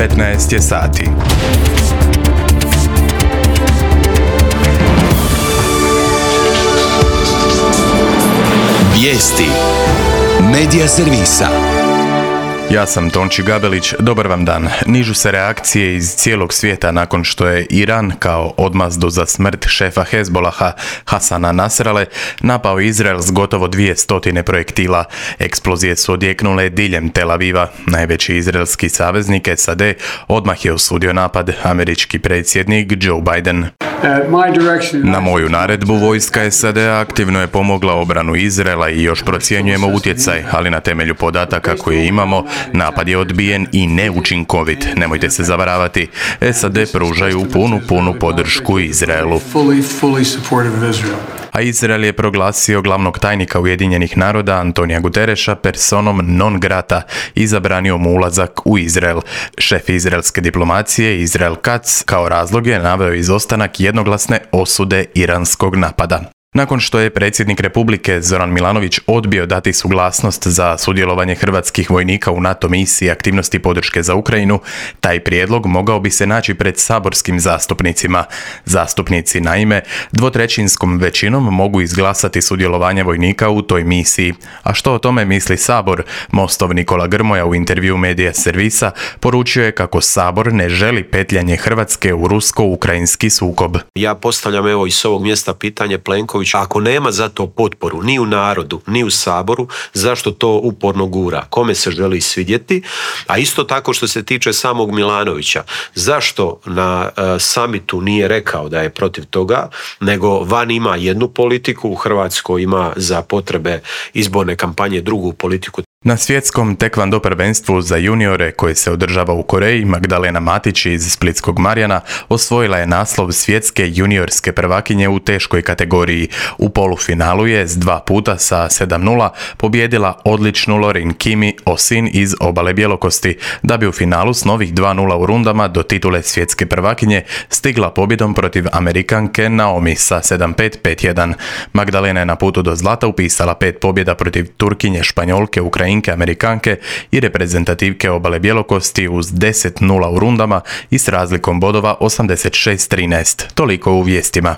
15 je sati. Vijesti Medija servisa. Ja sam Tonči Gabelić, dobar vam dan. Nižu se reakcije iz cijelog svijeta nakon što je Iran kao odmazdu za smrt šefa Hezbolaha Hasana Nasrale napao Izrael s gotovo 200 projektila. Eksplozije su odjeknule diljem Tel Aviva. Najveći izraelski saveznik SAD odmah je osudio napad, američki predsjednik Joe Biden. Na moju naredbu vojska SAD-a aktivno je pomogla obranu Izraela i još procjenjujemo utjecaj, ali na temelju podataka koje imamo, napad je odbijen i neučinkovit. Nemojte se zavaravati. SAD pružaju punu podršku Izraelu. A Izrael je proglasio glavnog tajnika Ujedinjenih naroda Antonija Gutereša personom non grata i zabranio mu ulazak u Izrael. Šef izraelske diplomacije Israel Katz kao razlog je naveo izostanak jednoglasne osude iranskog napada. Nakon što je predsjednik Republike Zoran Milanović odbio dati suglasnost za sudjelovanje hrvatskih vojnika u NATO misiji aktivnosti podrške za Ukrajinu, taj prijedlog mogao bi se naći pred saborskim zastupnicima. Zastupnici, naime, dvotrećinskom većinom mogu izglasati sudjelovanje vojnika u toj misiji. A što o tome misli Sabor? Mostov Nikola Grmoja u intervju Medija servisa poručio je kako Sabor ne želi petljanje Hrvatske u rusko-ukrajinski sukob. Ja postavljam evo i s ovog mjesta pitanje Plenkoviću. Ako nema za to potporu ni u narodu, ni u Saboru, zašto to uporno gura? Kome se želi svidjeti? A isto tako što se tiče samog Milanovića, zašto na samitu nije rekao da je protiv toga, nego van ima jednu politiku, u Hrvatskoj ima za potrebe izborne kampanje drugu politiku. Na svjetskom tekvando prvenstvu za juniore koje se održava u Koreji, Magdalena Matić iz Splitskog Marjana osvojila je naslov svjetske juniorske prvakinje u teškoj kategoriji. U polufinalu je s 2 puta sa 7:0 pobijedila odličnu Lorin Kimi Osin iz Obale Bjelokosti, da bi u finalu s novih 2:0 u rundama do titule svjetske prvakinje stigla pobjedom protiv Amerikanke Naomi sa 7:5, 5:1. Magdalena je na putu do zlata upisala 5 pobjeda protiv Turkinje, Španjolke, Ukrajinke, Amerikanke i reprezentativke Obale Bjelokosti uz 10:0 u rundama i s razlikom bodova 86-13. Toliko u vijestima.